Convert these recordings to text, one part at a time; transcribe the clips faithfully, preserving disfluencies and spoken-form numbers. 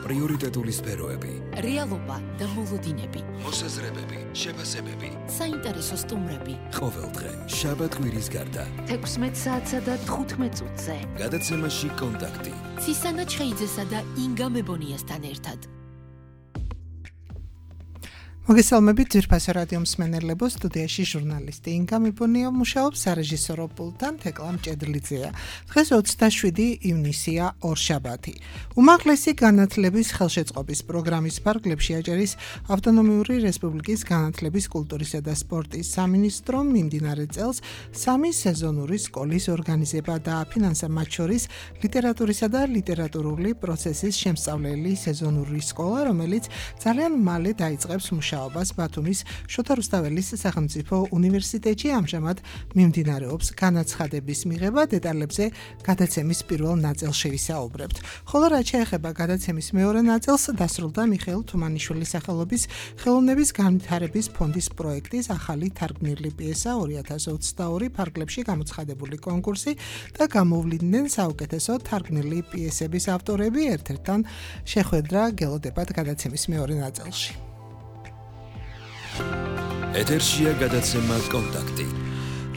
პრიორიტეტული სფეროები, რეალობა და მოლოდინები, მოსაზრებები, შეფასებები, საინტერესო სტუმრები. ყოველდღე შაბათ-კვირის გარდა თექვსმეტ საათსა და თხუთმეტ წუთზე. გადაცემაში კონტაქტი. ცისანა ჩხეიძესა და ინგა მებონიასთან ერთად. მოგესალმებით ძვირფასო რადიო მსმენელებო, სტუდიაში ჟურნალისტი ინგა მებონია მუშაობს, სარეჟისორო პულტთან თეკლა მჭედლიძეა. დღეს ოცდაშვიდი ივნისია, ორშაბათი. უმაღლესი განათლების ხელშეწყობის პროგრამის ფარგლებში აჭარის ავტონომიური რესპუბლიკის განათლების, კულტურისა და სპორტის სამინისტრომ მიმდინარე წელს სამი სეზონური სკოლის ორგანიზება დააფინანსა, მათ შორის ლიტერატურისა და ლიტერატურული პროცესის შემსწავლელი სეზონური სკოლა, რომელიც ძალიან მალე დაიწყებს მუშაობას ბათუმის შოთა რუსთაველის სახელმწიფო უნივერსიტეტში. ამჟამად მიმდინარეობს განაცხადების მიღება, დეტალებზე გადაცემის პირველ ნაწილში ვისაუბრებთ. ხოლო რაც შეეხება გადაცემის მეორე ნაწილს, დასრულდა მიხეილ თუმანიშვილის სახელობის ხელოვნების განვითარების ფონდის პროექტის ახალი თარგმნილი პიესა ორი ათას ოცდაორი ფარგლებში გამოცხადებული კონკურსი და გამოვლინდნენ საუკეთესო თარგმნილი პიესების ავტორები. ერთ-ერთთან შეხვედრა გელოდებათ გადაცემის მეორე ნაწილში. ეთერშია გადაცემა კონტაქტი.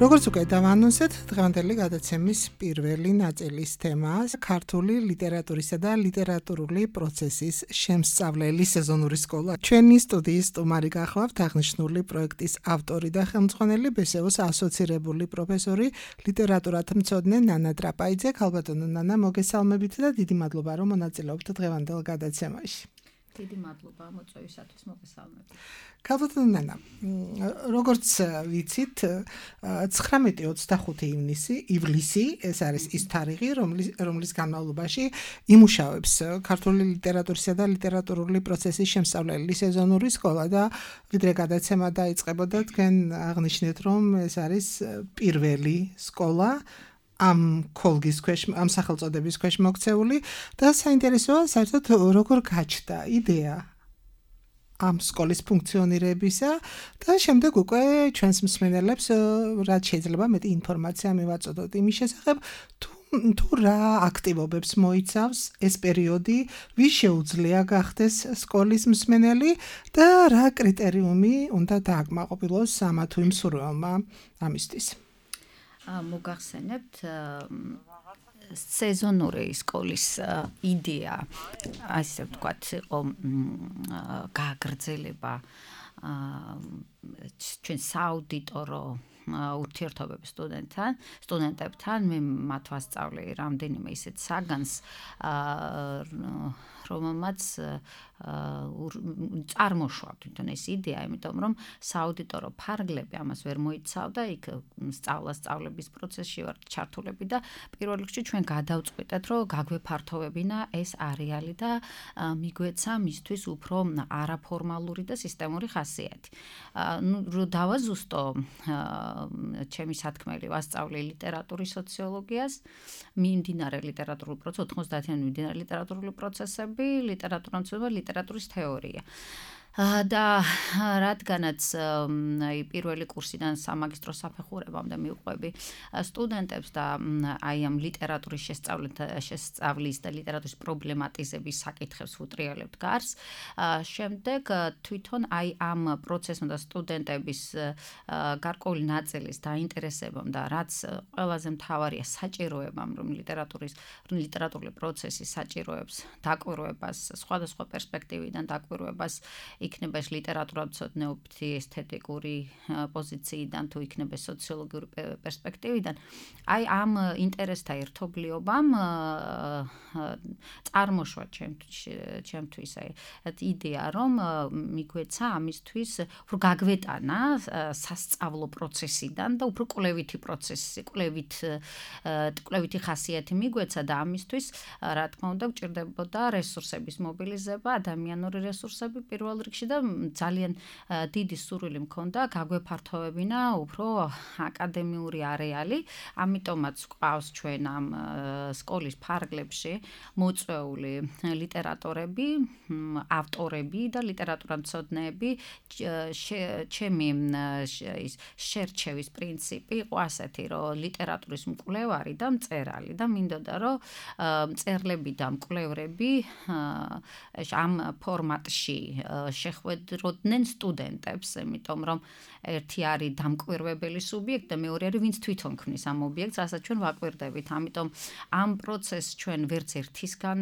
როგორც უკვე დავანონსეთ, დღევანდელი გადაცემის პირველი ნაწილის თემაა ქართული ლიტერატურისა და ლიტერატურული პროცესის შემსწავლელი სეზონური სკოლა. ჩვენი სტუდიის სტუმარი გახლავთ აღნიშნული პროექტის ავტორი და ხელმძღვანელი ბესეოს ასოცირებული პროფესორი, ლიტერატურათმცოდნე ნანა ტრაპაიძე. ქალბატონო ნანა, მოგესალმებით და დიდი მადლობა, რომ მონაწილეობთ დღევანდელ გადაცემაში. დიდი მადლობა მოწვევისათვის, მოგესალმებით. ქალბატონო ნანა, როგორც ვიცით, ცხრამეტი ოცდახუთი ივნისი, ივლისი, ეს არის ის თარიღი, რომლის რომლის განმავლობაში იმუშავებს ქართული ლიტერატურისა და ლიტერატურული პროცესის შემსწავლელი სეზონური სკოლა და ვიდრე გადაცემა დაიწყებოდა, თქვენ აღნიშნეთ, რომ ეს არის პირველი სკოლა ამ ქოლგის ქვეშ, ამ სახელწოდების ქვეშ მოქცეული და საინტერესოა საერთოდ როგორ გაჩნდა იდეა ამ სკოლის ფუნქციონირებისა და შემდეგ უკვე ჩვენს მსმენელებს რაც შეიძლება მეტი ინფორმაცია მივაწოდოთ იმის შესახებ, თუ თუ რა აქტივობებს მოიცავს ეს პერიოდი, ვის შეუძლია გახდეს სკოლის მსმენელი და რა კრიტერიუმი უნდა დააკმაყოფილოს ამა თუ იმ სურვილმა ამისთვის. მოგახსენებთ სეზონური სკოლის იდეა, ასე ვთქვათ, იყო გააგრძელება ჩვენ სააუდიტორო ურთიერთობების სტუდენტთან, სტუდენტებთან. მე მათ ვასწავლე რამდენიმე ისეთ საგანს, რომელმაც წარმოშვა თვითონ ეს იდეა, იმიტომ რომ სააუდიტორო ფარგლები ამას ვერ მოიცავდა, იქ სწავლა სწავლების პროცესში ვარ ჩართულები და პირველ რიგში ჩვენ გადავწყვიტეთ, რომ გაგვეფართოვებინა ეს არეალი და მიგვეცა მისთვის უფრო არაფორმალური და სისტემური ხასიათი. ნუ რო დავაზუსტო, ჩემი სათქმელი ვასწავლე ლიტერატურის სოციოლოგიას, მიმდინარე ლიტერატურული პროცესი, ოთხმოცდაათიანი მიმდინარე ლიტერატურული პროცესები, ლიტერატურამცოდნეობა, ლიტერატურის თეორია. და რადგანაც აი პირველი კურსიდან სამაგისტრო საფეხურებამდე მივყვები სტუდენტებს და აი ამ ლიტერატურის შესწავლის და ლიტერატურის პრობლემატიზების საკითხებს ვუტრიალებთ გარს, შემდეგ თვითონ აი ამ პროცესმა და სტუდენტების გარკვეული ნაწილის დაინტერესებამ და რაც ყველაზე მთავარია საჭიროებამ, რომ ლიტერატურის ლიტერატურული პროცესი საჭიროებს დაკვირვებას, სხვადასხვა პერსპექტივიდან დაკვირვებას, იქნება ეს ლიტერატურათმცოდნეობითი ესთეტიკური პოზიციიდან თუ იქნება სოციოლოგიური პერსპექტივიდან, აი ამ ინტერესთა ერთობლიობამ წარმოშვა ჩემთვის აი იდეა, რომ მიგვეცა ამისთვის უფრო გაგვეტანა სასწავლო პროცესიდან და უფრო კვლევითი პროცესი, კვლევით კვლევითი ხასიათი მიგვეცა და ამისთვის რა თქმა უნდა გვჭირდებოდა რესურსების მობილიზება, ადამიანური რესურსები პირველ რიგში და ძალიან დიდი სურვილი მქონდა გაგვეფართოვებინა უფრო აკადემიური არეალი, ამიტომაც გვყავს ჩვენ ამ სკოლის ფარგლებში მოწვეული ლიტერატორები, ავტორები და ლიტერატურამცოდნეები ჩემი ის შერჩევის პრინციპი იყო ასეთი, რომ ლიტერატურის მკვლევარი და მწერალი და მინდოდა რომ მწერლები და მკვლევრები ამ ფორმატში შეხვედროდნენ სტუდენტებს, იმიტომ რომ ერთი არის დამკვირვებელი სუბიექტი და მეორე არის ვინც თვითონ ქმნის ამ ობიექტს, რასაც ჩვენ ვაკვირდებით. ამიტომ ამ პროცესს ჩვენ ვერც ერთისგან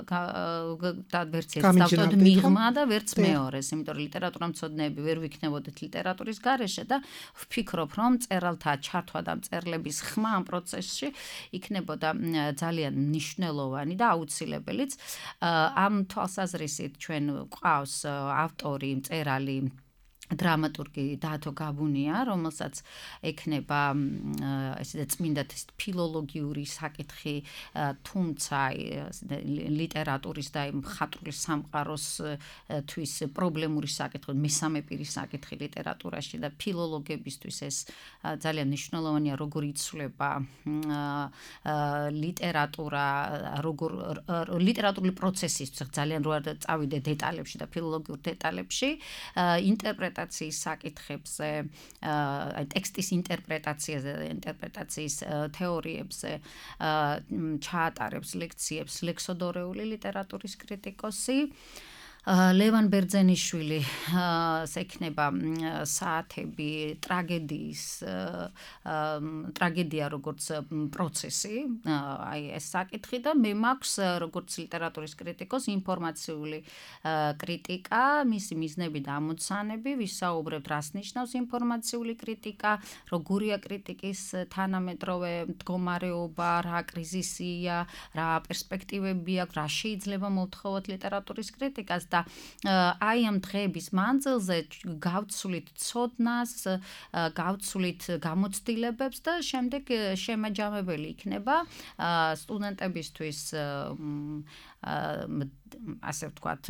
და ვერც ერთს დავწოდოთ მიღმა და ვერც მეორეს, იმიტომ რომ ლიტერატურამცოდნეები ვერ ვიქნებოდეთ ლიტერატურის გარეშე და ვფიქრობ, რომ მწერალთა ჩართვა და მწერლების ხმა ამ პროცესში იქნებოდა ძალიან მნიშვნელოვანი და აუცილებელიც. ამ თვალსაზრისით ჩვენ გვყავს ავტორი, მწერალი დრამატურგი დათო გაბუნია, რომელსაც ექნება ესეც წმინდა ფილოლოგიური საკითხი, თუმცა ლიტერატურის და მხატვრული სამყაროს თვის პრობლემური საკითხი, მესამე პირის საკითხი ლიტერატურაში და ფილოლოგებისთვის ეს ძალიან მნიშვნელოვანია, როგორ იცვლება ლიტერატურა, როგორ ლიტერატურული პროცესის ძალიან რო არ წავიდე დეტალებში და ფილოლოგიურ დეტალებში, ინტერპრეტაცია საკითხებზე, აი ტექსტის ინტერპრეტაციაზე, ინტერპრეტაციის თეორიებზე ჩაატარებს ლექციებს ლექსოდორეული ლიტერატურის კრიტიკოსი. ლევან ბერძენიშვილი ექნება საათები ტრაგედიის ტრაგედია როგორც პროცესი, აი ეს საკითხი და მე მაქვს როგორც ლიტერატურის კრიტიკოს ინფორმაციული კრიტიკა, მისი მიზნები და ამოცანები, ვისაუბრებთ რას ნიშნავს ინფორმაციული კრიტიკა, როგორია კრიტიკის თანამედროვე მდგომარეობა, რა კრიზისია, რა პერსპექტივები აქვს, რა შეიძლება მოვთხოვოთ ლიტერატურის კრიტიკას და აი ამ დღეების მანძილზე გავცვლით ცოდნას, გავცვლით გამოცდილებებს და შემდეგ შემაჯამებელი იქნება სტუდენტებისთვის ასე ვთქვათ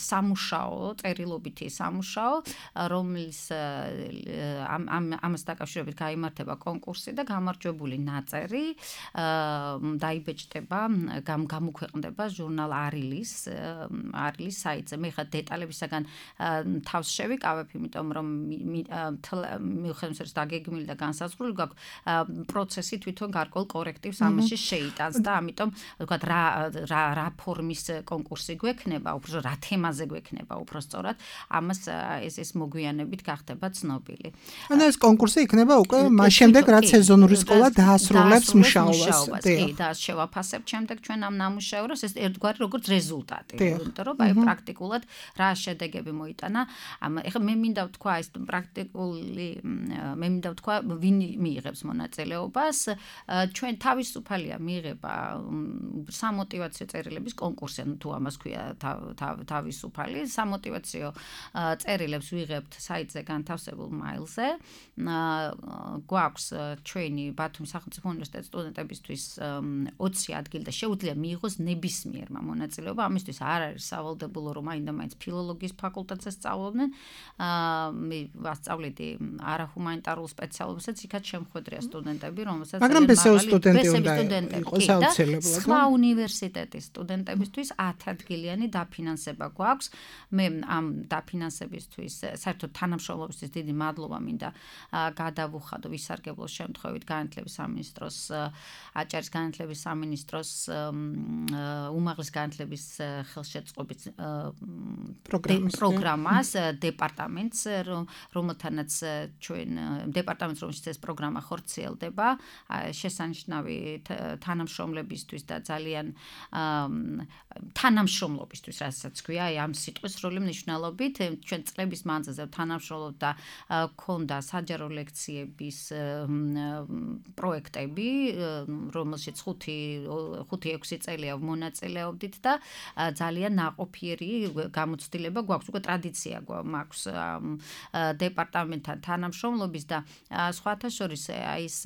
სამუშაო, წერილობითი სამუშაო, რომლის ამ ამას დაკავშირებით გაიმართება კონკურსი და გამარჯვებული ნაწერი დაიბეჭდება, გამოქვეყნდება ჟურნალ არილის არილის საიტზე. მე ხა დეტალებისაგან თავს შევიკავებ, იმიტომ რომ მიუხედავად ის დაგეგმილი და განსაზღვრული გაქვს, პროცესი თვითონ გარკვეულ კორექტივს ამაში შეიტანს და ამიტომ ვთქვათ რა რა რა ფორმის კონკურსი გვექნება, უფრო რა თემაზე გვექნება, უფრო სწორად, ამას ეს ეს მოგვიანებით გახდება ცნობილი. ანუ ეს კონკურსი იქნება უკვე მას შემდეგ, რაც სეზონური სკოლა დაასრულებს მუშაობას. კი, და შევაფასებთ შემდეგ ჩვენ ამ ნამუშევრებს, ეს ერთგვარი როგორც რეზულტატი, იმიტომ რომ აი პრაქტიკულად რა შედეგები მოიტანა. ეხლა მე მინდა ვთქვა ეს პრაქტიკული, მე მინდა ვთქვა ვინ მიიღებს მონაწილეობას, ჩვენ თავისუფალია მიიღება სამოტივაციო წერილების კონკურსი, ანუ თუ ამას ქვია თავისუფალი, სამოტივაციო წერილებს ვიღებთ საიტზე განთავსებულ მაილზე. გვაქვს ჩვენი ბათუმის სახელმწიფო უნივერსიტეტის სტუდენტებისთვის ოცი ადგილი და შეუძლია მიიღოს ნებისმიერმა მონაწილეობა. ამისთვის არ არის სავალდებულო, რომ მაინდა-მაინც ფილოლოგიის ფაკულტეტზე სწავლობდნენ. მე ვასწავლიდი არაჰუმანიტარულ სპეციალობასაც, იქაც შემხვედრია სტუდენტები, რომელსაც მაგრამ ბესეო სტუდენტი უნდა იყოს აუცილებლად. სხვა უნივერსიტეტის სტუდენტებისთვის ათი ადგილიანი დაფინანსება გვაქვს. მე ამ დაფინანსებისთვის საერთოდ თანამშრომლობისთვის დიდი მადლობა მინდა გადავუხადო ვისარგებლო შემთხვევით განათლების სამინისტროს, აჭარის განათლების სამინისტროს უმაღლეს განათლების ხელშეწყობის პროგრამას, დეპარტამენტს, რომელთანაც ჩვენ დეპარტამენტს, რომელშიც ეს პროგრამა ხორციელდება, შესანიშნავი თანამშრომლებისთვის და ძალიან თანამშრომლობისთვის, რასაც ქვია, აი ამ სიტყვის სრული მნიშვნელობით, ჩვენ წლების მანძილზე თანამშრომლობთ და ქონდა საჯარო ლექციების პროექტები, რომელშიც ხუთი ექვსი წელია მონაწილეობდით და ძალიან ნაყოფიერი გამოცდილება გვაქვს, უკვე ტრადიცია გვაქვს დეპარტამენტთან თანამშრომლობის და სხვათა შორის აი ეს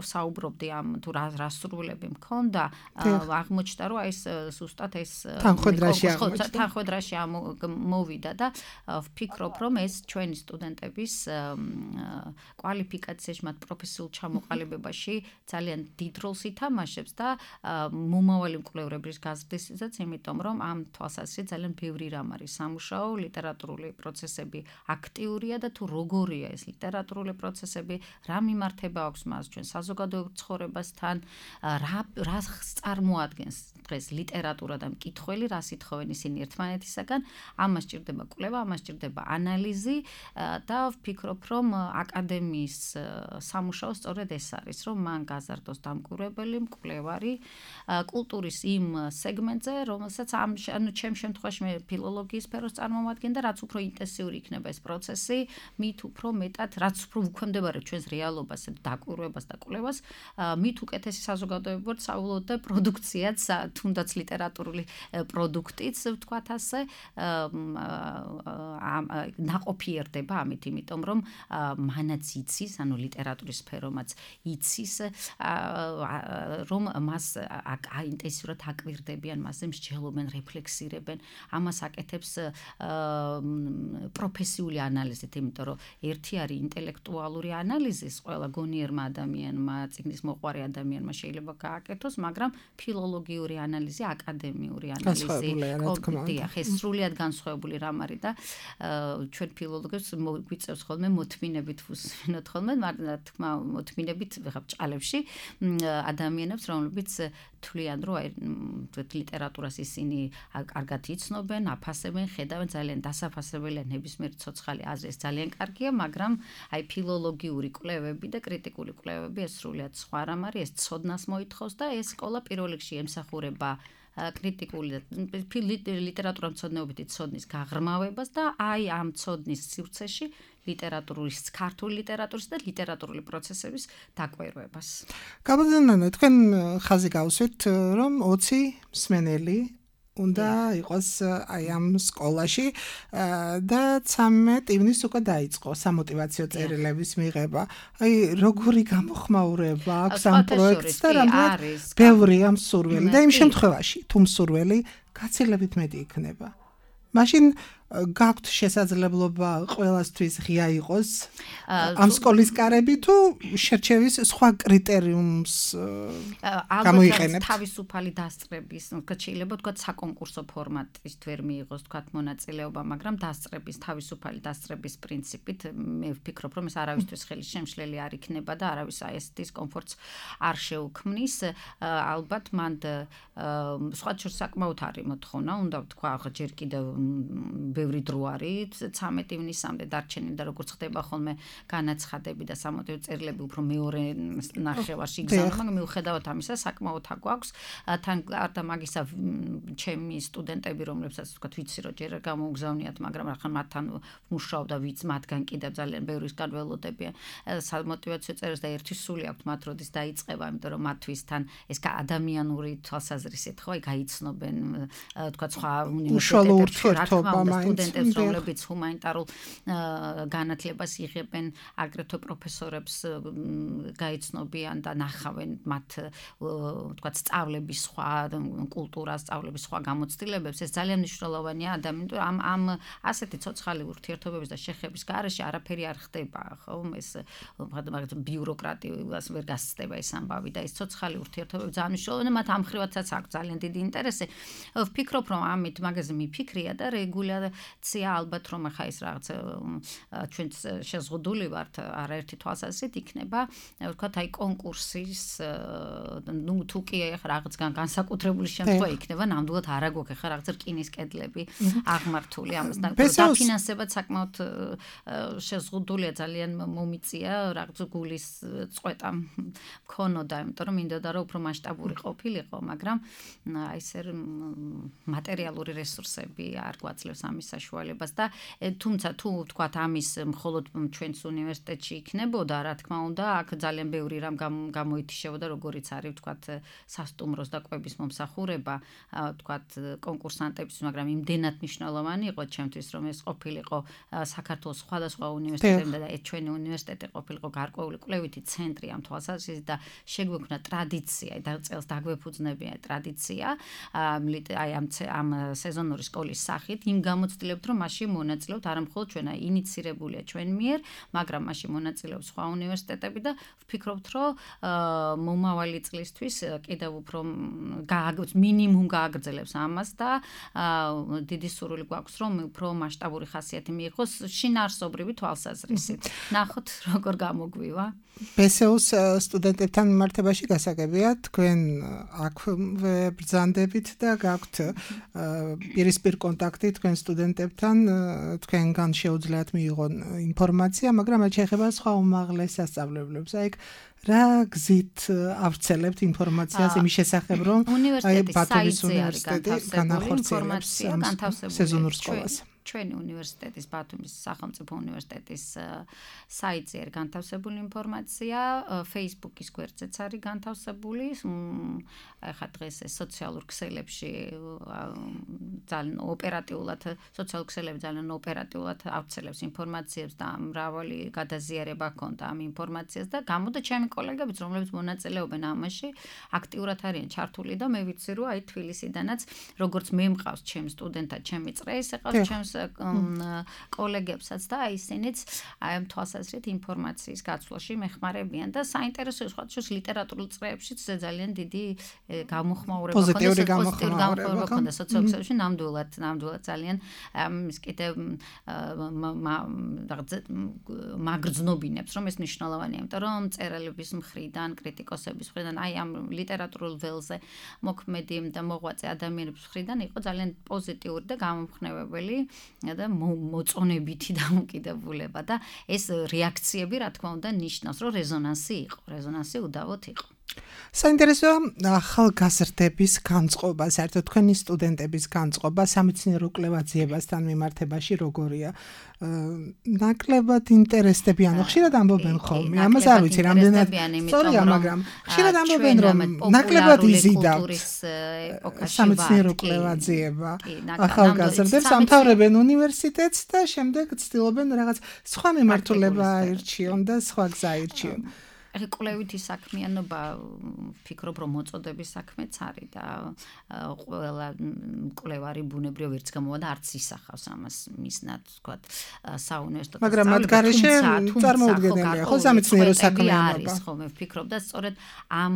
საუბრობდი ამ თუ რა სურვილები მქონდა, აღმოჩნდა რომ აი ეს ზუსტად ეს თანხმედრაში მოვიდა და ვფიქრობ რომ ეს ჩვენი სტუდენტების კვალიფიკაციაში, მათ პროფესიულ ჩამოყალიბებაში ძალიან დიდ როლს ითამაშებს და მომავალი მკვლევრების გაზრდისთვისაც, იმიტომ რომ ამ თვალსაზრისით ძალიან ბევრი რამ არის სამუშაო, ლიტერატურული პროცესები აქტიურია და თუ როგორია ეს ლიტერატურული პროცესები, რა მიმართება აქვს მას ჩვენ საზოგადოებრივ ცხოვრებასთან, რა რა წარმოადგენს დღეს ლიტერატურა და მკითხველი, რას ითხოვენ ისინი ერთმანეთისაგან, ამას სჭირდება კვლევა, ამას სჭირდება ანალიზი და ვფიქრობ, რომ აკადემიის სამუშაო სწორედ ეს არის, რომ მან გაზარდოს დამკვირვებელი, მკვლევარი კულტურის იმ სეგმენტზე, რომელსაც ამ ანუ ჩემ შემთხვევაში მე ფილოლოგიის სფეროს წარმომადგენდა, რაც უფრო ინტენსიური იქნება ეს პროცესი, მით უფრო მეტად, რაც უფრო უქვემდებარებს ჩვენს რეალობას, დაკვირვებას და კვლევას, მით უკეთესი საზოგადოება ვართ საუბრობთ და პროდუქციაც, თუნდაც ლიტერატურული პროდუქტიც, ვთქვათ ასე, ნაყოფიერდება ამით, იმიტომ რომ მანაც იცის, ანუ ლიტერატურის სფერომაც იცის, რომ მას ინტენსიურად აკვირდებიან, მასზე მსჯელობენ, რეფლექსირებენ, ამას აკეთებს პროფესიული ანალიზით, იმიტომ რომ ერთი არის ინტელექტუალური ანალიზის, ყველა გონიერმა ადამიანმა, წიგნის მოყვარე ადამიანმა შეიძლება გააკეთოს, მაგრამ ფილოლოგიური ანალიზი, აკადემიური ანალიზი, კომპიტია, ეს სრულიად განსხვავებული რამ არის და ჩვენ ფილოლოგებს გვიწევს ხოლმე მოთმინებით ვუსვინოთ ხოლმე, მაგრამ თქმა მოთმინებით ხა ბჭყალებში ადამიანებს, რომლებიც თვლიან, რომ აი ლიტერატურას ისინი კარგად იცნობენ, აფასებენ, ხედავენ, ძალიან დასაფასებელია ნებისმიერი ცოცხალი აზრი, ეს ძალიან კარგია, მაგრამ აი ფილოლოგიური კვლევები და კრიტიკული კვლევები ეს სრულიად სხვა რამ არის, ეს ცოდნას მოითხოვს და ეს სკოლა პირველ რიგში ემსახურება კრიტიკული ლიტერატურამცოდნეობითი ცოდნის გაღრმავებას და აი ამ ცოდნის სივრცეში ლიტერატურის, ქართული ლიტერატურის და ლიტერატურული პროცესების დაკვირვებას. გამოდანანო, თქვენ ხაზი გავუსვით, რომ ოცი მსმენელი უნდა იყოს აი ამ სკოლაში და ცამეტ ივნისს უკვე დაიწყო სამოტივაციო წერილების მიღება. აი როგორი გამოხმაურება აქვს ამ პროექტს და რამდენად ბევრია მსურველი და იმ შემთხვევაში, თუ მსურველი გაცილებით მეტი იქნება. მაშინ გაქვთ შესაძლებლობა ყველასთვის ღია იყოს ამ სკოლის კარები თუ შერჩევის სხვა კრიტერიუმს გამოიყენებთ? თავისუფალი დასწრების, შეიძლება თქვა საკონკურსო ფორმატის თვერ მიიღოს თქვა მონაწილეობა, მაგრამ დასწრების, თავისუფალი დასწრების პრინციპით მე ვფიქრობ, რომ ეს არავისთვის ხელის შემშლელი არ იქნება და არავის აი ეს დისკომფორტს არ შეუქმნის. ალბათ მანდ სხვა შორს საკმაოდ არის მოთხოვნა, უნდა ვთქვა, ახლა ჯერ კიდევ ბევრი დრო არის, ცამეტ ივნისამდე დარჩენილი და როგორც ხდება ხოლმე განაცხადები და სამოტივო წერილები უფრო მეორე ნახევარში იგზავნა, მაგრამ მიუხედავად ამისა, საკმაოდ აგვაქვს. თან გარდა მაგისა, ჩემი სტუდენტები, რომლებსაც ვთქვათ, ვიცი რომ ჯერ გამოუგზავნიათ, მაგრამ ახლა მათთან ვმუშაობ და ვიც მათგან კიდევ ძალიან ბევრისგან ველოდებიან სამოტივაციო წერილს და ერთი სული აქვთ მათ როდის დაიწყება, იმიტომ რომ მათთვისთან ეს ადამიანური თვალსაზრისით ხო, გაიცნობენ, ვთქვათ, სხვა უნივერსიტეტებში რომლებიც ჰუმანიტარულ განათლებას იღებენ, აგრეთვე პროფესორებს გაიცნობიან და ნახავენ მათ ვთქვათ სწავლების სხვა კულტურას, სწავლების სხვა გამოცდილებებს, ეს ძალიან მნიშვნელოვანია ადამიანს, ამ ამ ასეთი ცოცხალი ურთიერთობების და შეხების გარეშე არაფერი არ ხდება, ხო? ეს მაგალითად ბიუროკრატიას ვერ გასწდება ეს ამბავი და ეს ცოცხალი ურთიერთობები ძალიან მნიშვნელოვანია, მათ ამ ხრივაცაც აქვს ძალიან დიდი ინტერესი. ვფიქრობ, რომ ამით მაგაზე მიფიქრია და რეგულაცია ალბათ რომ ახლა ეს რაღაც ჩვენ შეზღუდული ვართ არაერთი თვალსაზრისით იქნება, ვთქვათ, აი კონკურსის ნუ თუ კი ახლა რაღაც განსაკუთრებული შემთხვევა იქნება, ნამდვილად არ აგვაქვს ახლა რაღაც რკინის კედლები აღმართული ამასთან დაფინანსებად საკმაოდ შეზღუდულია, ძალიან მომიწია რაღაც გულის წყვეტა მქონოდა, იმიტომ რომ მინდოდა რომ უფრო მასშტაბური ყოფილიყო, მაგრამ აი ესე მატერიალური რესურსები არ გვაძლევს ამის ამის საშუალებას და თუმცა თუ ვთქვათ ამის მხოლოდ ჩვენს უნივერსიტეტში იქნებოდა, რა თქმა უნდა, აქ ძალიან ბევრი რამ გამოითიშებოდა, როგორიც არის ვთქვათ სასტუმროს და კვების მომსახურება, ვთქვათ კონკურსანტების, მაგრამ იმდენად მნიშვნელოვანი იყო ჩემთვის, რომ ეს ყოფილიყო საქართველოს სხვადასხვა უნივერსიტეტებიდან და ეს ჩვენი უნივერსიტეტი ყოფილიყო გარკვეული კვლევითი ცენტრი ამ თვალსაზრისით და შეგვექმნა ტრადიცია და წელს დაგვეფუძნებია ტრადიცია აი ამ ამ სეზონური სკოლის სახით იმ გამოცდილებით რომ მასში მონაწილეობთ არა მხოლოდ ჩვენ აი ინიცირებულია ჩვენ მიერ მაგრამ მასში მონაწილეობს სხვა უნივერსიტეტები და ვფიქრობთ რომ მომავალი წლისთვის კიდევ უფრო მინიმუმ გააგრძელებს ამას და დიდი სურვილი გვაქვს რომ უფრო მასშტაბური ხასიათი მიიღოს შინაარსობრივი თვალსაზრისით ნახოთ როგორ გამოგვივა ბე ეს იუს სტუდენტებთან მიმართებაში გასაგებია თქვენ აქ ბრძანდებით და გაქვთ პირისპირ კონტაქტი თქვენ სტუდენტებთან თქვენგან შეუძლიათ მიიღონ ინფორმაცია მაგრამ რაც შეეხება სხვა უმაღლეს სასწავლებლებს აი რა გზით ავრცელებთ ინფორმაციას იმის შესახებ რომ აი ბათუმის უნივერსიტეტი განახორციელებს სეზონურ სკოლას ჩვენი უნივერსიტეტის ბათუმის სახელმწიფო უნივერსიტეტის საიტზე არის განთავსებული ინფორმაცია, Facebook-ის გვერდზეც არის განთავსებული. ახლა დღეს სოციალურ ქსელებში ძალიან ოპერატიულად სოციალურ ქსელებში ძალიან ოპერატიულად ავრცელებს ინფორმაციებს და მრავალი გადაზიარება ჰქონდა ამ ინფორმაციას და გამოდა ჩემი კოლეგებიც, რომლებიც მონაწილეობენ ამაში, აქტიურად არიან ჩართული და მე ვიცი რომ აი თბილისიდანაც როგორც მე მყავს ჩემ სტუდენტად, ჩემი წრეს ეყავს ჩემს კოლეგებსაც და ისინიც აი ამ თვალსაზრისით ინფორმაციის გაცვლაში მეხმარებიან და საინტერესოა სხვადასხვა ლიტერატურულ წრეებშიც ძალიან დიდი გამოხმაურება ჰქონდა პოზიტიური გამოხმაურება ჰქონდა სოციოლოგიაში ნამდვილად ნამდვილად ძალიან ის კიდე მაგრძნობინებს რომ ეს მნიშვნელოვანია იმიტომ რომ მწერლების მხრიდან კრიტიკოსების მხრიდან აი ამ ლიტერატურულ ველზე მოქმედი და მოღვაწე ადამიანების მხრიდან იყო ძალიან პოზიტიური და გამომხნევებელი და მოწონებითი დამოკიდებულება და ეს რეაქციები რა თქმა უნდა ნიშნავს რომ რეზონანსი იყო რეზონანსი უდავოდ იყო საინტერესოა ახალგაზრდების განწყობა, საერთოდ თქვენი სტუდენტების განწყობა სამეცნიერო კვლევაციებასთან მიმართებაში როგორია? ნაკლებად ინტერესდებიან, ხშირად ამბობენ ხოლმე, ამას არ ვიცი, რამდენად სწორია, მაგრამ ხშირად ამბობენ რომ ნაკლებად იზიდავთ სამეცნიერო კვლევაციება ახალგაზრდებს, ამთავრებენ უნივერსიტეტს და შემდეგ ცდილობენ რაღაც სხვა მიმართულება აირჩიონ და სხვა გზა აირჩიონ. ეხლა კვლევითი საქმიანობა ვფიქრობ რომ მოწოდების საქმეც არის და ყველა კვლევარი ბუნებრივ ვერც გამოვიდა არც ისახავს ამას მისნად ვთქვათ საუნივერსიტეტო მაგრამ მათ გარეშე წარმოუდგენელია ხო სამეცნიერო საქმიანობა არის ხო მე ვფიქრობ და სწორედ ამ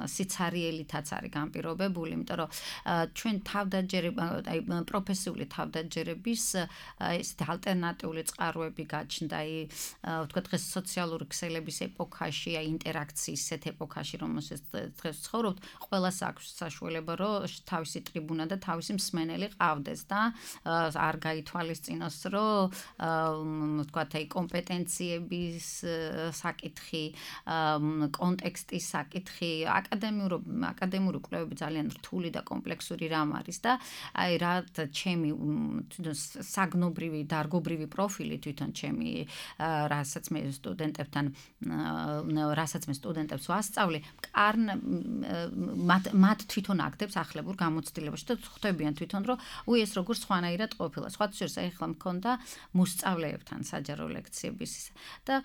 სიცარიელითაც არის განპირობებული იმიტომ რომ ჩვენ თავდაჯერება აი პროფესიული თავდაჯერების ესეთი ალტერნატიული წყაროები გაჩნდა აი ვთქვათ დღეს სოციალური ქსელების ეპოქაში აი ინტერაქციის ესეთ ეპოქაში რომელსაც დღეს ცხოვრობთ ყველას აქვს საშუალება რომ თავისი ტრიბუნა და თავისი მსმენელი ყავდეს და არ გაითვალისწინოს რომ ვთქვათ აი კომპეტენციების საკითხი კონტექსტის საკითხი აკადემიური აკადემიური კვლევები ძალიან რთული და კომპლექსური რამ არის და აი რა ჩემი საგნობრივი დარგობრივი პროფილი თვითონ ჩემი რასაც მე სტუდენტებთან რასაც მე სტუდენტებს ვასწავლე, კარნ მათ მათ თვითონ აქტებს ახლებურ გამოცდილებაში და ხვდებიან თვითონ რომ უი ეს როგორ სხვანაირად ყოფილა. სხვა შორის ახლა მქონდა მოსწავლეებთან საჯარო ლექციების და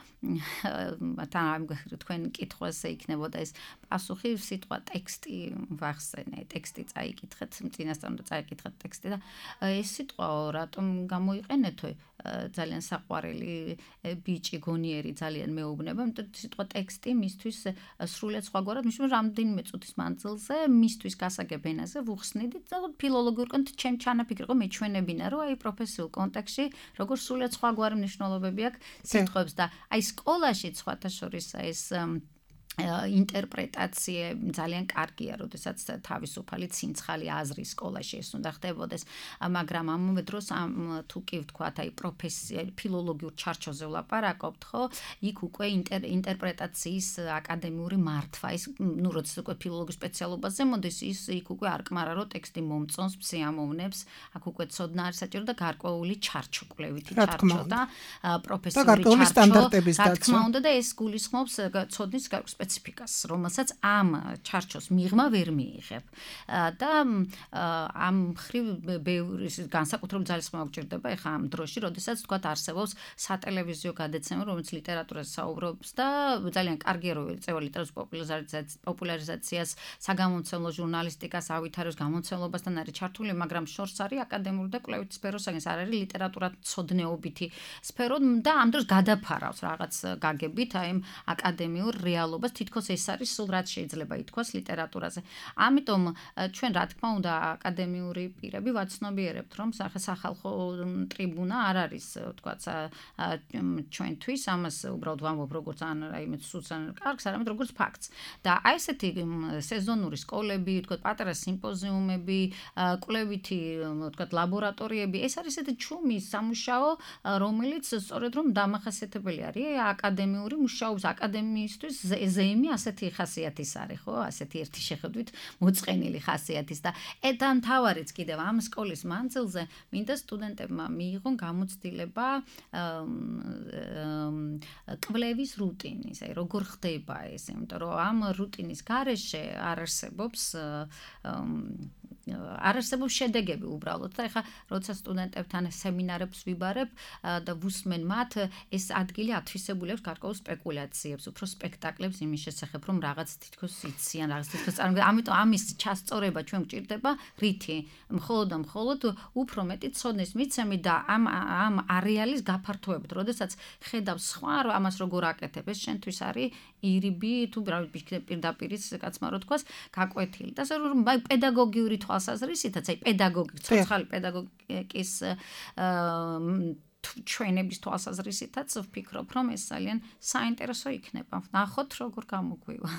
თან თქვენ კითხვაზე იქნებოდა ეს პასუხი სიტყვა ტექსტი ვახსენე, ტექსტი წაიკითხეთ, წინასწარ უნდა წაიკითხეთ ტექსტი და ეს სიტყვა რატომ გამოიყენეთო ძალიან საყვარელი ბიჭი გონიერი ძალიან მეუბნება, იმიტომ სიტყვა ტექსტი მისთვის სრულიად სხვაგვარად, მისთვის რამდენიმე წუთის მანძილზე მისთვის გასაგებ ენაზე ვუხსნიდით და ფილოლოგიურ კონტ ჩემ ჩანაფიქრი იყო მეჩვენებინა, რომ აი პროფესიულ კონტექსტში როგორ სრულიად სხვაგვარი მნიშვნელობები აქვს სიტყვებს და აი სკოლაში სხვათა შორის ეს ინტერპრეტაცია ძალიან კარგია, როდესაც თავისუფალი ცინცხალი აზრის სკოლაში ეს უნდა ხდებოდეს, მაგრამ ამავე დროს თუ კი ვთქვათ, აი პროფესია ფილოლოგიურ ჩარჩოზე ვლაპარაკობთ, ხო? იქ უკვე ინტერპრეტაციის აკადემიური მართვა, ის ნუ როდესაც უკვე ფილოლოგიის სპეციალობაზე მოდის, ის იქ უკვე არკმარა რო ტექსტი მომწონს, სიამოვნებს, აქ უკვე ცოდნა არის საჭირო და გარკვეული ჩარჩო, კვლევითი ჩარჩო და პროფესიული ჩარჩო. რა თქმა უნდა და ეს გულისხმობს ცოდნის სპეციფიკას, რომელსაც ამ ჩარჩოს მიღმა ვერ მიიღებ. და ამ მხრივ ბევრი განსაკუთრებული ძალისხმევა გვჭირდება ეხა ამ დროში, როდესაც თქვათ არსებობს სატელევიზიო გადაცემა, რომელიც ლიტერატურაზე საუბრობს და ძალიან კარგია რომ ეწევა ლიტერატურის პოპულარიზაციას, საგამომცემლო ჟურნალისტიკას, ავითარებს გამომცემლობასთან არის ჩართული, მაგრამ შორს არის აკადემიური და კვლევითი სფეროსაგან, არ არის ლიტერატურათმცოდნეობითი სფერო და ამ დროს გადაფარავს რაღაც გაგებით აი ამ აკადემიურ რეალობას, თითქოს ეს არის სულ რაც შეიძლება ითქვას ლიტერატურაზე. ამიტომ ჩვენ რა თქმა უნდა აკადემიური პირები ვაცნობიერებთ, რომ სახალხო ტრიბუნა არ არის, ვთქვათ, ჩვენთვის, ამას უბრალოდ ვამბობ როგორც ან რაიმე სულსან კარგს, არამედ როგორც ფაქტს. და აი ესეთი სეზონური სკოლები, ვთქვათ, პატარა სიმპოზიუმები, კვლევითი, ვთქვათ, ლაბორატორიები, ეს არის ესეთი ჩუმი სამუშაო, რომელიც სწორედ რომ დამახასიათებელი არის აკადემიური მუშაობის აკადემიისთვის ზეიმი ასეთი ხასიათის არის, ხო? ასეთი ერთი შეხედვით მოწყენილი ხასიათის და და მთავარიც კიდევ ამ სკოლის მანძილზე მინდა სტუდენტებმა მიიღონ გამოცდილება კვლევის რუტინის, აი როგორ ხდება ეს, იმიტომ რომ ამ რუტინის გარეშე არ არსებობს არ არსებობს შედეგები უბრალოდ და ეხლა როცა სტუდენტებთან სემინარებს ვიბარებ და ვუსმენ მათ, ეს ადგილი ათვისებული აქვს გარკვეულ სპეკულაციებს, უფრო სპექტაკლებს იმის შესახებ, რომ რაღაც თითქოს იციან, რაღაც თითქოს წარმოგიდგენთ. ამიტომ ამის ჩასწორება ჩვენ გვჭირდება რითი? მხოლოდ და მხოლოდ უფრო მეტი ცოდნის მიცემით და ამ ამ არეალის გაფართოებით, როდესაც ხედავ სხვა ამას როგორ აკეთებ, ეს შენთვის არის ირიბი თუ პირდაპირის კაცმა რო თქვას, გაკვეთილი. და ასე რომ პედაგოგიური თვალსაზრისითაც, აი პედაგოგი, ცოცხალი პედაგოგიკის ჩვენების თვალსაზრისითაც ვფიქრობ, რომ ეს ძალიან საინტერესო იქნება. ნახოთ როგორ გამოგვივა.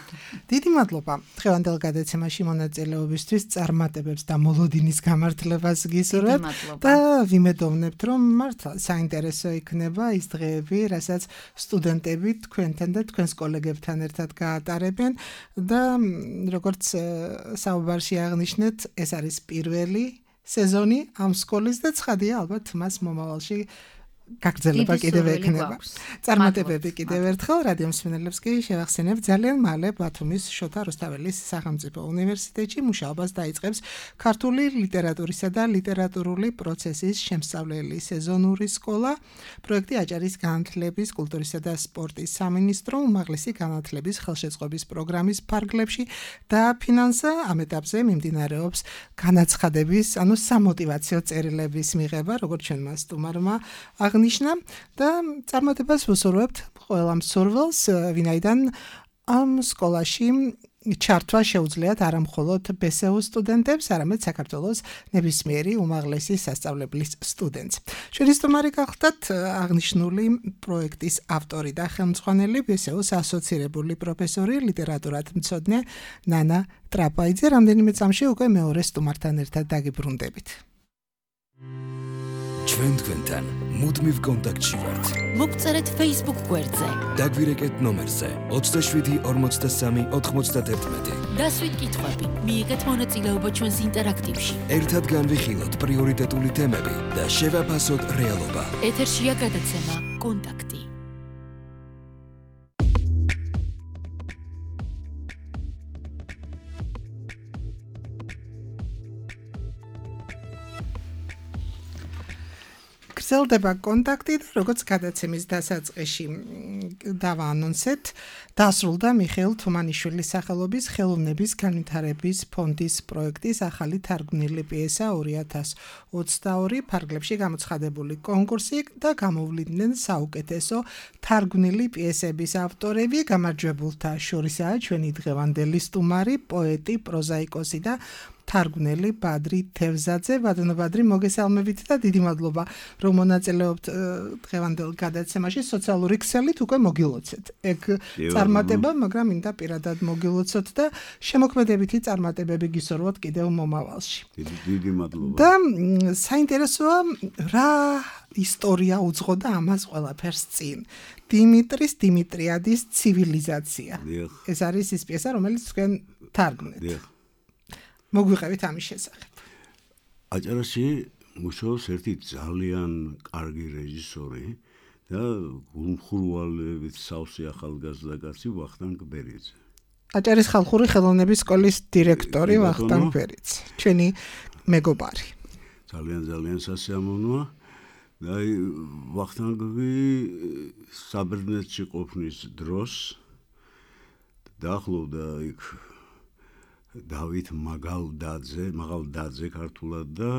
დიდი მადლობა დღევანდელ გადაცემაში მონაწილეობისთვის, წარმატებებს და მოლოდინის გამართლებას გისურვებთ და ვიმედოვნებთ, რომ მართლა საინტერესო იქნება ის დღეები, რასაც სტუდენტები თქვენთან და თქვენს კოლეგებთან ერთად გაატარებენ და როგორც საუბარში აღნიშნეთ, ეს არის პირველი სეზონი ამ სკოლის და ცხადია ალბათ მას მომავალში გაგრძელება კიდევ ექნება. წარმატებები კიდევ ერთხელ რადიო მსმენელებს კი შევახსენებ, ძალიან მალე ბათუმის შოთა რუსთაველის სახელმწიფო უნივერსიტეტში მუშაობას დაიწყებს ქართული ლიტერატურისა და ლიტერატურული პროცესის შემსწავლელი სეზონური სკოლა. პროექტი აჭარის განათლების, კულტურისა და სპორტის სამინისტრო უმაღლესი განათლების ხელშეწყობის პროგრამის ფარგლებში და ფინანსა ამ ეტაპზე მიმდინარეობს განაცხადების, ანუ სამოტივაციო წერილების მიღება, როგორც ჩვენმა სტუმარმა აღნიშნა და წარმატებას ვუსურვებთ ყველა მსურველს, ვინაიდან ამ სკოლაში ჩართვა შეუძლიათ არა მხოლოდ ბესეუ სტუდენტებს, არამედ საქართველოს ნებისმიერი უმაღლესი სასწავლებლის სტუდენტს. ჩვენი სტუმარი გახლდათ აღნიშნული პროექტის ავტორი და ხელმძღვანელი ბესეუს ასოცირებული პროფესორი, ლიტერატურათმცოდნე ნანა ტრაპაიძე. რამდენიმე წამში უკვე მეორე სტუმართან ერთად დაგიბრუნდებით. ჩვენ თქვენთან მუდმივ კონტაქტში ვართ. მოგწერეთ Facebook გვერდზე. დაგვირეკეთ ნომერზე ოცდაშვიდი ორმოცდასამი ოთხმოცდაათი. დასვით კითხვები, მიიღეთ მონაწილეობა ჩვენს ინტერაქტივში. ერთად განვიხილოთ პრიორიტეტული თემები და შევაფასოთ რეალობა. ეთერშია გადაცემა კონტაქტი. გრძელდება კონტაქტი და როგორც გადაცემის დასაწყისში დავაანონსეთ, დასრულდა მიხეილ თუმანიშვილის სახელობის ხელოვნების განვითარების ფონდის პროექტის ახალი თარგმნილი პიესა ორი ათას ოცდაორი ფარგლებში გამოცხადებული კონკურსი და გამოვლინდნენ საუკეთესო თარგმნილი პიესების ავტორები. გამარჯვებულთა შორისაა ჩვენი დღევანდელი სტუმარი, პოეტი, პროზაიკოსი და თარგმნელი ბადრი თევზაძე. ბატონო ბადრი, მოგესალმებით და დიდი მადლობა, რომ მონაწილეობთ დღევანდელ გადაცემაში. სოციალური ქსელით უკვე მოგილოცეთ ეგ წარმატება, მაგრამ მინდა პირადად მოგილოცოთ და შემოქმედებითი წარმატებები გისურვოთ კიდევ მომავალში. დიდი მადლობა. და საინტერესოა რა ისტორია უძღოდა ამას ყველაფერს წინ. დიმიტრის დიმიტრიადის ცივილიზაცია. ეს არის ის პიესა, რომელიც თქვენ თარგმნეთ. მოგვიყევით ამის შესახებ. აჭარაში მუშაობს ერთი ძალიან კარგი რეჟისორი და გულმხურვალებით სავსე ახალგაზრდა კაცი ვახტანგ ბერიძე. აჭარის ხალხური ხელოვნების სკოლის დირექტორი ვახტანგ ბერიძე. ჩვენი მეგობარი. ძალიან ძალიან სასიამოვნოა. და ვახტანგი საბერძნეთში ყოფნის დროს დაახლოვდა იქ დავით მაგალდაძე, მაგალდაძე ქართულად და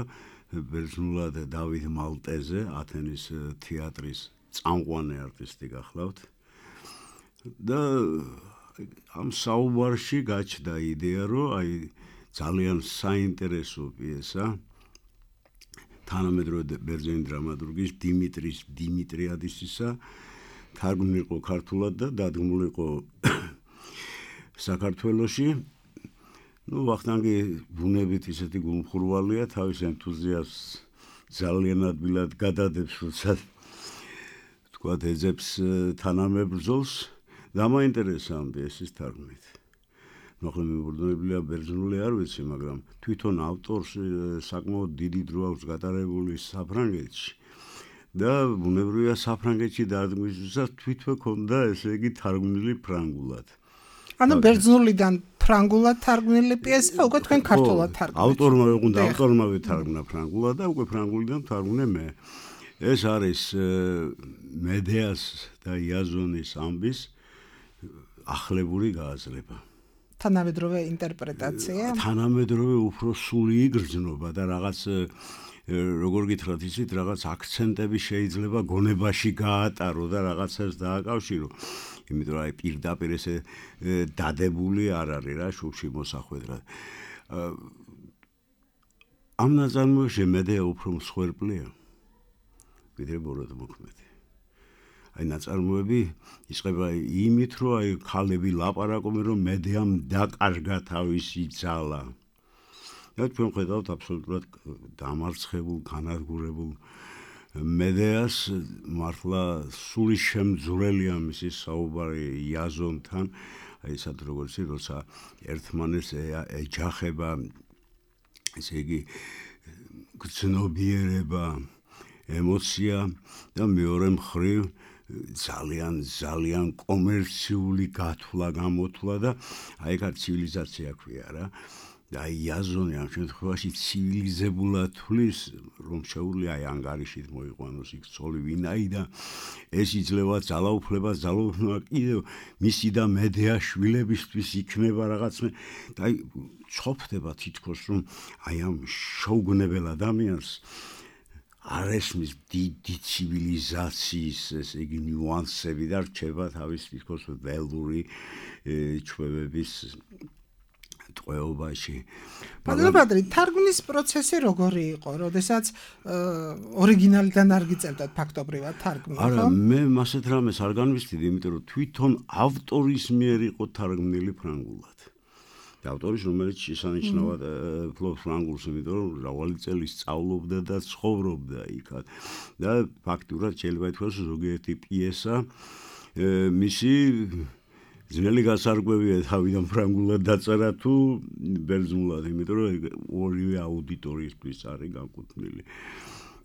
ბერძნულად დავით მალტეზე, ათენის თეატრის წამყვანი არტისტი გახლავთ. და ამ საუბარში გაჩნდა იდეა, რომ აი ძალიან საინტერესო პიესა თანამედროვე ბერძენი დრამატურგის დიმიტრის დიმიტრიადისისა თარგმნილი იყო ქართულად და დადგმული იყო საქართველოში. ნუ ვახტანგი ბუნებით ისეთი გულმხურვალია, თავის ენთუზიაზმს ძალიან ადვილად გადადებს, როცა თქვათ ეძებს თანამებრძოლს. დამაინტერესა ამ პიესის თარგმნით. ნუ ახლა მიმობრძოლებულია ბერძნული არ ვიცი, მაგრამ თვითონ ავტორს საკმაოდ დიდი დრო აქვს გატარებული საფრანგეთში. და ბუნებრივია საფრანგეთში დადგმისთვისაც თვითონ ქონდა ესე იგი თარგმნილი ფრანგულად. ანუ ბერძნულიდან ფრანგულად თარგმნილი პიესა უკვე თქვენ ქართულად თარგმნით. ავტორმა უნდა ავტორმა ვეთარგმნა ფრანგულად და უკვე ფრანგულიდან თარგმნე მე. ეს არის მედეას და იაზონის ამბის ახლებური გააზრება. თანამედროვე ინტერპრეტაცია. თანამედროვე უფრო სული იგრძნობა და რაღაც როგორ გითხრათ ისეთ რაღაც აქცენტები შეიძლება გონებაში გაატარო და რაღაცას დააკავშირო. იმიტომ რომ აი პირდაპირ ესე დადებული არ არის რა შუქში მოსახვედრად. ამ ნაწარმოებში მედეა უფრო მსხვერპლია. ვიდრე ბოროტმოქმედი. აი ნაწარმოები იწყება იმით, რომ აი ქალები ლაპარაკობენ, რომ მედეამ დაკარგა თავისი ძალა. და ჩვენ ხედავთ აბსოლუტურად დამარცხებულ, განადგურებულ მედეას, მართლა სული შემძვრელია მისი საუბარი იაზონთან, აი ესად როგორც როცა ერთმანეთს ეჯახება, ესე იგი გრძნობიერება, ემოცია და მეორე მხრივ ძალიან ძალიან კომერციული გათვლა გამოთვლა და აი ეგ ცივილიზაცია ქვია რა. და აი იაზონი ამ შემთხვევაში ცივილიზებულად თვლის, რომ შეუძლია აი ანგარიშით მოიყვანოს იქ ცოლი ვინაიდან ეს იძლევა ძალაუფლება, ძალაუფლება კიდევ მისი და მედეას შვილებისთვის იქნება რაღაცნაირ და აი ჩოფდება თითქოს რომ აი ამ შოუგნებელ ადამიანს არ ესმის დიდი ცივილიზაციის ესე იგი ნიუანსები და რჩება თავის თითქოს ველური ჩვევების ტყვეობაში. ბადრი, თარგმნის პროცესი როგორი იყო, როდესაც ორიგინალიდან არ გიწევდათ ფაქტობრივად თარგმნა, ხო? არა, მე მასეთ რამეს არ განვისდიდი, იმიტომ რომ თვითონ ავტორის მიერ იყო თარგმნილი ფრანგულად. და ავტორის, რომელიც შესანიშნავად ფლობს ფრანგულს, იმიტომ რომ მრავალი წელი სწავლობდა და ცხოვრობდა იქ. და ფაქტურად შეიძლება ითქვას, ზოგიერთი პიესა მისი ძნელი გასარკვევია თავიდან ფრანგულად დაწერა თუ ბერძნულად, იმიტომ რომ ორივე აუდიტორიისთვის არის განკუთვნილი.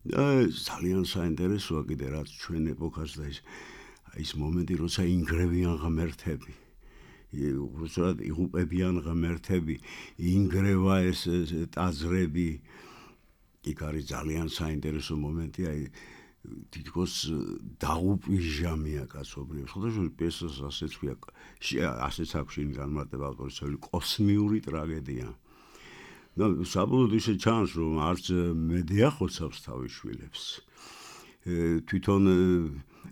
და ძალიან საინტერესოა კიდე რაც ჩვენ ეპოქას და ის ის მომენტი, როცა ინგრევიან ღმერთები. უბრალოდ იღუპებიან ღმერთები, ინგრევა ეს ტაძრები. იქ არის ძალიან საინტერესო მომენტი, აი თითქოს დაუპიჟამია კაცობრიობს. ხოდაშორი პიესას ასეც ქვია, ასეც აქვს შინ განმარტება ავტორის ცელი კოსმიური ტრაგედია. და საბოლოოდ ისე ჩანს, რომ არც მედეა ხოცავს თავის შვილებს. თვითონ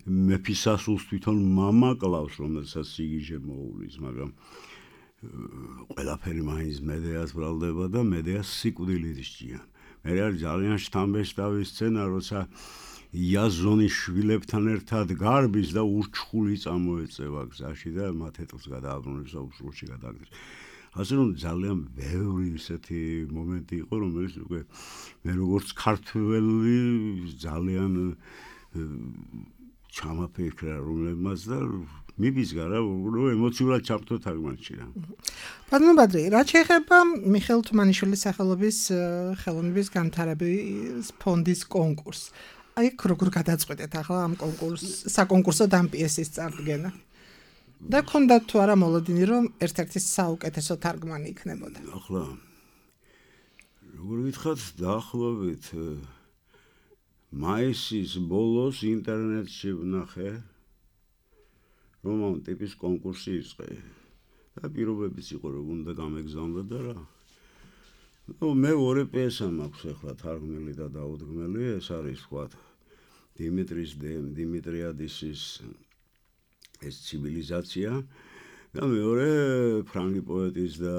მეფისასულს თვითონ მამა კლავს, რომელსაც სიგიჟე მოუვლის, მაგრამ ყველაფერი მაინც მედეას ბრალდება და მედეას სიკვდილით სჭიან. მე არის ძალიან შთამბეჭდავი სცენა, როცა იაზონის შვილებთან ერთად გარბის და ურჩხული წამოეწევა გზაში და მათ ეტლს გადააბრუნებს და უსრულში გადააგდეს. ასე რომ ძალიან ბევრი ისეთი მომენტი იყო, რომელიც უკვე მე როგორც ქართველი ძალიან ჩამაფიქრა რომლებმაც და მიბიზგა რა, რომ ემოციურად ჩავხტო თარგმანში რა. ბატონო ბადრი, რა შეეხება მიხეილ თუმანიშვილის სახელობის ხელოვნების განვითარების ფონდის კონკურსს? აი, როგორ გადაწყვეტეთ ახლა ამ კონკურს, საკონკურსო ამ პიესის წარდგენა? და ქონდათ თუ არა მოლოდინი, რომ ერთ-ერთი საუკეთესო თარგმანი იქნებოდა? ახლა როგორ გითხრათ, დაახლოებით მაისის ბოლოს ინტერნეტში ვნახე რომ ამ ტიპის კონკურსი იწყე და პირობებიც იყო რომ უნდა გამეგზავნო და რა. ნუ მე ორი პიესა მაქვს ახლა თარგმნილი და დაუდგმელი, ეს არის ვთქვათ დიმიტრის დიმიტრიადისის ეს ცივილიზაცია და მეორე ფრანგი პოეტის და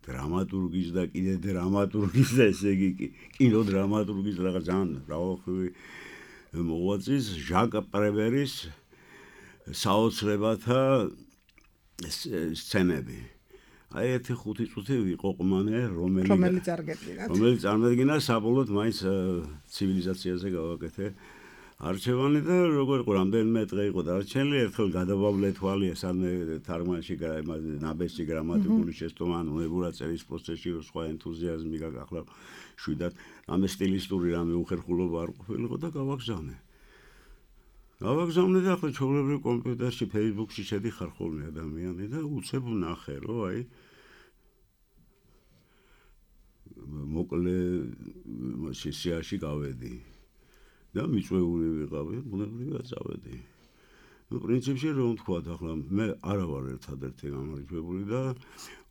დრამატურგის და კიდე დრამატურგის და ესე იგი კინოდრამატურგის რაღაც ძალიან მრავალხრივი მოღვაწის ჟაკ პრევერის საოცრებათა სცენები. აი ერთი ხუთი წუთი ვიყოყმანე, რომელიც რომელიც წარგედგინათ. რომელიც წარმოედგინა საბოლოოდ მაინც ცივილიზაციაზე გავაკეთე არჩევანი და როგორ იყო რამდენიმე დღე იყო დარჩენილი, ერთხელ გადავავლე თვალი სანამ თარგმანში ნაბეჭდი გრამატიკული შეცდომა, უნებურად წერის პროცესში რო სხვა ენთუზიაზმი გაგახლა შვიდად ამ სტილისტური რამე უხერხულობა არ ყოფილიყო და გავაგზავნე. გავაგზავნე და ახლა ჩვეულებრივ კომპიუტერში, Facebook-ში შედიხარ ხოლმე ადამიანი და უცებ ვნახე, რომ აი მოკლე სესიაში გავედი. და მიწვეული ვიყავი, ბუნებრივად წავედი. ნუ პრინციპში რომ ვთქვათ, ახლა მე არა ვარ ერთადერთი გამარჯვებული და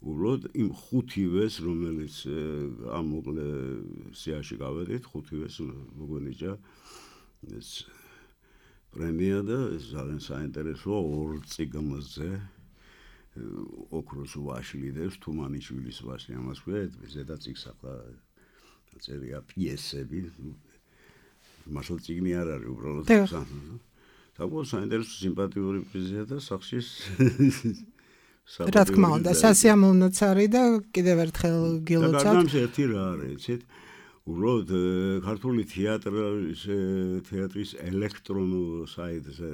უბრალოდ იმ ხუთივეს, რომელიც ამ მოკლე სიაში გავედით, ხუთივეს მოგვენიჭა ეს პრემია და ეს ძალიან საინტერესოა ორ წიგნზე ოქროს ვაშლი დევს თუმანიშვილის ვაშლი, ამას ქვია, ზედა წიგნს ახლა წერია პიესები. მართლა წიგნი არ არის უბრალოდ საკმაოდ საინტერესო სიმპათიური პრიზია და სახშის რა თქმა უნდა სასიამოვნოც არის და კიდევ ერთხელ გილოცავთ. და გარდა ერთი რა არის, იცით? უბრალოდ ქართული თეატრის თეატრის ელექტრონულ საიტზე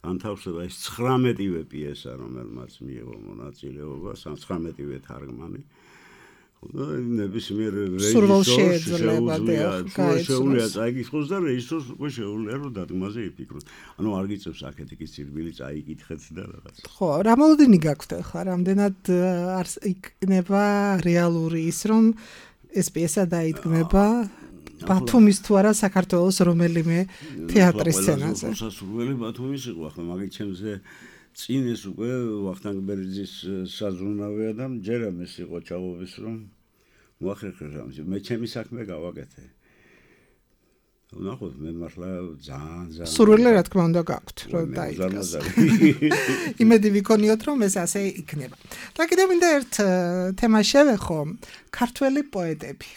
განთავსება ეს ცხრამეტივე პიესა, რომელმაც მიიღო მონაწილეობა, ცხრამეტივე თარგმანი. ნებისმიერ რეჟისორს შეუძლია შეუძლია წაიგიხოს და რეჟისორს უკვე შეუძლია რომ დადგმაზე იფიქროს. ანუ არ გიწევს აქეთიკის ცირბილი წაიკითხეთ და რაღაც. ხო, რა მოლოდინი გაქვთ ახლა? რამდენად იქნება რეალური ის რომ ეს პიესა დაიდგმება ბათუმის თუ არა საქართველოს რომელიმე თეატრის სცენაზე? სასურველი ბათუმის იყო, ახლა მაგით ჩემზე წინ ეს უკვე ვახტანგ ბერძის საზრუნავია და ჯერამ ეს იყო ჩავობის რომ მოახერხე რამე მე ჩემი საქმე გავაკეთე. ნახოთ მე მართლა ძალიან ძალიან სურვილი რა თქმა უნდა გაქვთ რომ დაიდგას. იმედი ვიქონიოთ რომ ეს ასე იქნება. და კიდევ მინდა ერთ თემა შევეხო, ქართველი პოეტები.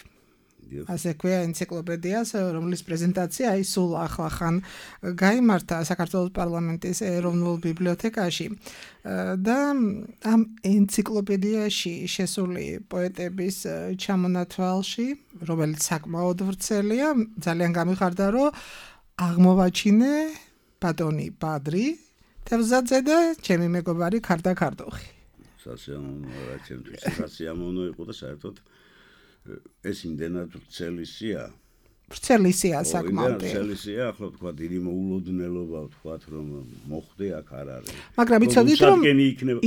ასე ქვია ენციკლოპედიას, რომლის პრეზენტაცია აი სულ ახლახან გაიმართა საქართველოს პარლამენტის ეროვნულ ბიბლიოთეკაში და ამ ენციკლოპედიაში შესული პოეტების ჩამონათვალში, რომელიც საკმაოდ ვრცელია, ძალიან გამიხარდა, რომ აღმოვაჩინე ბატონი ბადრი თევზაძე და ჩემი მეგობარი ქარდა ქარდოხი. სასიამოვნოა რა ჩემთვის, სასიამოვნო იყო და საერთოდ ეს იმდენად ვრცელისია. ვრცელისია საკმაოდ. ვრცელისია, ახლა თქვა დიდი მოულოდნელობა ვთქვათ რომ მოხდე აქ არ არის. მაგრამ იცოდით რომ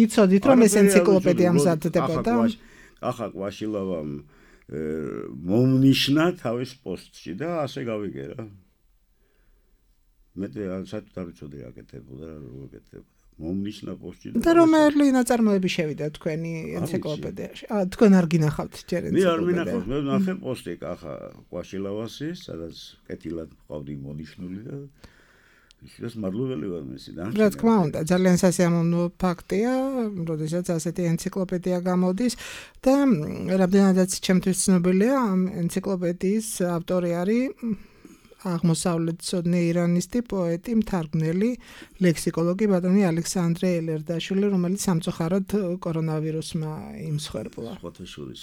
იცოდით რომ ეს ენციკლოპედია მზადდებოდა. ახლა კვაშილავამ მომნიშნა თავის პოსტში და ასე გავიგე რა. მე საერთოდ არ ვიცოდი რა გეთებოდა რა როგორ გეთებოდა. მომნიშნა პოსტში და რომელი ნაწარმოები შევიდა თქვენი ენციკლოპედიაში? აა თქვენ არ გინახავთ ჯერ ენციკლოპედია? მე არ მინახავს, მე ვნახე პოსტი კახა კვაშილავასის, სადაც კეთილად ყავდი მონიშნული და ის მადლობელი ვარ მისიდან. რა თქმა უნდა, ძალიან სასიამოვნო ფაქტია, როდესაც ასეთი ენციკლოპედია გამოდის და რამდენადაც ჩემთვის ცნობილია, ამ ენციკლოპედიის ავტორი არის აღმოსავლეთმცოდნე ირანისტი, პოეტი, მთარგმნელი, ლექსიკოლოგი ბატონი ალექსანდრე ელერდაშვილი, რომელიც სამწუხაროდ კორონავირუსმა იმსხვერპლა. სხვათა შორის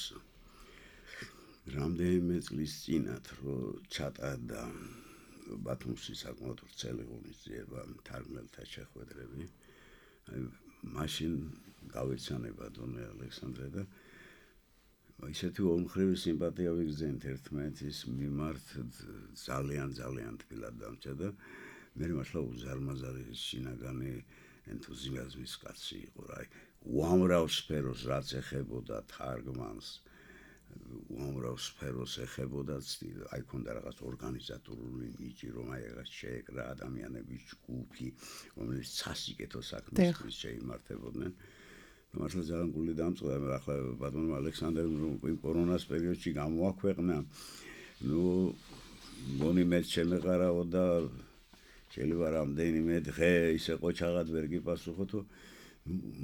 რამდენიმე წლის წინათ რო ჩატარდა ბათუმში საკმაოდ ვრცელი ღონისძიება მთარგმნელთა შეხვედრები, აი მაშინ გავეცანება დონე ალექსანდრე და ისეთი ორმხრივი სიმპათია ვიგრძენთ ერთმანეთის მიმართ ძალიან ძალიან თბილად დამჭა და მე მართლა უზარმაზარი შინაგანი ენთუზიაზმის კაცი იყო რა. უამრავ სფეროს რაც ეხებოდა თარგმანს, უამრავ სფეროს ეხებოდა, აი ქონდა რაღაც ორგანიზატორული ნიჭი, რომ აი რაღაც შეეკრა ადამიანების ჯგუფი, რომელიც სასიკეთო საქმისთვის შეიმართებოდნენ. მართლა ძალიან გული დამწყდა, ახლა ბატონო ალექსანდრემ იმ კორონას პერიოდში გამოაქვეყნა, ნუ მგონი მეც შემეყარაო და შეიძლება რამდენიმე დღე ისე ყოჩაღად ვერ გიპასუხოთო,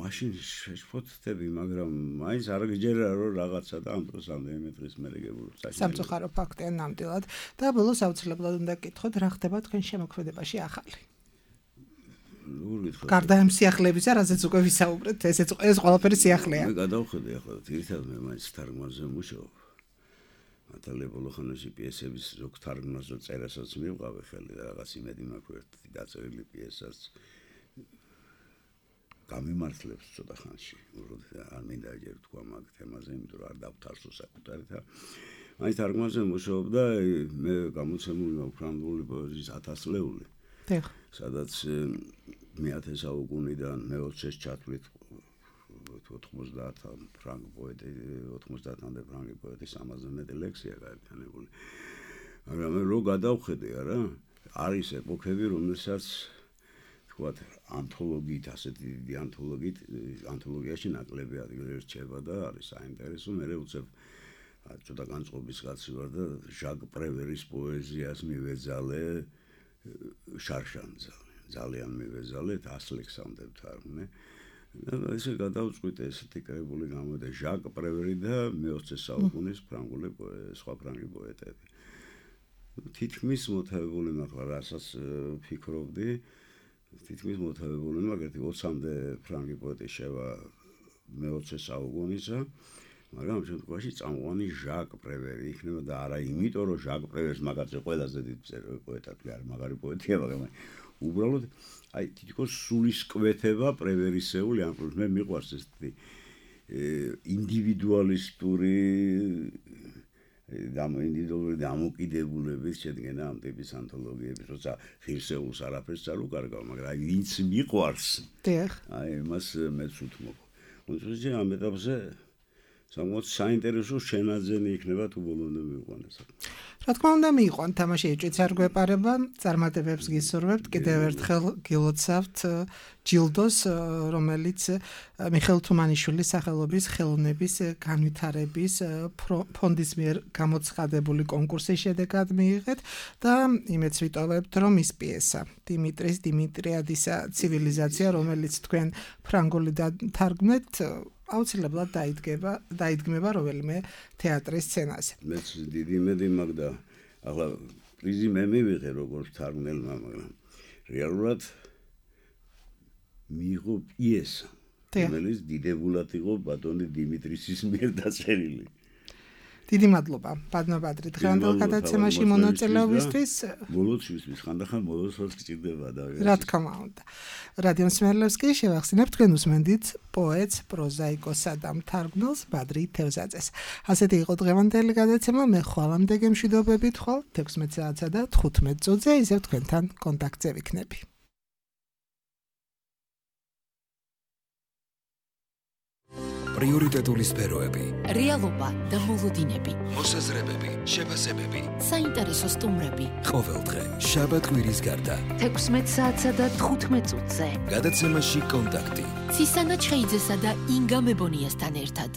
მაშინ შეშფოთდები, მაგრამ მაინც არ გიჯერა რომ რაღაცა და ამ დროს რამდენიმე დღის მერე გებულობ. სამწუხარო ფაქტია ნამდვილად და ბოლოს აუცილებლად უნდა გკითხოთ, რა ხდება თქვენ შემოქმედებაში ახალი. გარდა ამ სიახლებისა, რაზეც უკვე ვისაუბრეთ, ესეც ეს ყველაფერი სიახლეა. მე გადავხედე ახლა, თირითადად მე მაინც თარგმანზე მუშაობ. მათალე ბოლო ხანაში პიესების ზოგ თარგმანზე წერასაც მივყავე ხელი და რაღაც იმედი მაქვს ერთი დაწერილი პიესას გამიმართლებს ცოტა ხანში. არ მინდა ჯერ თქვა მაგ თემაზე, იმიტომ რომ არ დავთარსო საკუთარით. მაინც თარგმანზე მუშაობ და მე გამოცემული მაქვს ფრანგული პოეზიის ათასლეული. დიახ. სადაც მეათე საუკუნიდან მეოცეს ჩათვლით ოთხმოცდაათ ფრანგ პოეტი, ოთხმოცდაათამდე ფრანგი პოეტის ამაზე მეტი ლექსია გაერთიანებული. მაგრამ მე რო გადავხედე არა, არის ეპოქები, რომელსაც თქვათ ანთოლოგიით, ასეთი დიდი ანთოლოგიით, ანთოლოგიაში ნაკლები ადგილი რჩება და არის საინტერესო. მე უცებ ცოტა განწყობის კაცი ვარ და ჟაკ პრევერის პოეზიას მივეძალე შარშანძა. ძალიან მივეძალე, ასლექსამდე ვთარგმნე. და ესე გადავწყვიტე ესეთი კრებული გამოდა ჟაკ პრევერი და მეოცე საუკუნის ფრანგული სხვა ფრანგი პოეტები. თითქმის მოთავებული მახლა რასაც ფიქრობდი, თითქმის მოთავებული მაგერთი ოცამდე ფრანგი პოეტი შევა მეოცე საუკუნისა, მაგრამ ამ შემთხვევაში წამყვანი ჟაკ პრევერი იქნება და არა იმიტომ რომ ჟაკ პრევერს მაგაზე ყველაზე დიდ პოეტად არ მაგარი პოეტია, მაგრამ უბრალოდ აი თითქოს სულისკვეთება პრევერისეული, ამ პრობლემს მე მიყვარს ესეთი ინდივიდუალისტური და ინდივიდუალური დამოკიდებულების შედგენა ამ ტიპის ანთოლოგიების, როცა ღირსეულს არაფერს არ უკარგავ, მაგრამ აი ვინც მიყვარს, დიახ, აი მას მეც უთმობ. თუმცა ამ ეტაპზე სამოც საინტერესო შენაძენი იქნება თუ ბოლომდე მივყვანეს. რა თქმა უნდა მიიყვან, თამაში ეჭვიც არ გვეპარება, წარმატებებს გისურვებთ, კიდევ ერთხელ გილოცავთ ჯილდოს, რომელიც მიხეილ თუმანიშვილის სახელობის ხელოვნების განვითარების ფონდის მიერ გამოცხადებული კონკურსის შედეგად მიიღეთ და იმეც ვიტოვებთ, რომ ის პიესა დიმიტრის დიმიტრიადისა ცივილიზაცია, რომელიც თქვენ ფრანგულიდან თარგმნეთ, აუცილებლად დაიდგება, დაიდგმება რომელიმე თეატრის სცენაზე. მეც დიდი იმედი მაქვს და ახლა პრიზი მე მივიღე როგორც თარგმნელმა, მაგრამ რეალურად მიიღო პიესა, რომელიც დიდებულად იყო ბატონი დიმიტრისის მიერ დაწერილი. დიდი მადლობა, ბატონო ბადრი, დღევანდელ გადაცემაში მონაწილეობისთვის. ბოლოსთვის ხანდახან ბოლოსაც გჭირდება და რა თქმა უნდა. რადიო მსმენელებს კი შევახსენებ, თქვენ უსმენდით პოეტს, პროზაიკოსსა და მთარგმნელს ბადრი თევზაძეს. ასეთი იყო დღევანდელი გადაცემა, მე ხვალამდე გემშვიდობებით ხვალ თექვსმეტ საათსა და თხუთმეტ წუთზე, ისევ თქვენთან კონტაქტზე ვიქნები. პრიორიტეტული სფეროები, რეალობა და მოლოდინები, მოსაზრებები, შეფასებები, საინტერესო სტუმრები. ყოველდღე შაბათ-კვირის გარდა თექვსმეტ საათსა და თხუთმეტ წუთზე. გადაცემაში კონტაქტი. ცისანა ჩხეიძესა და ინგა მებონიასთან ერთად.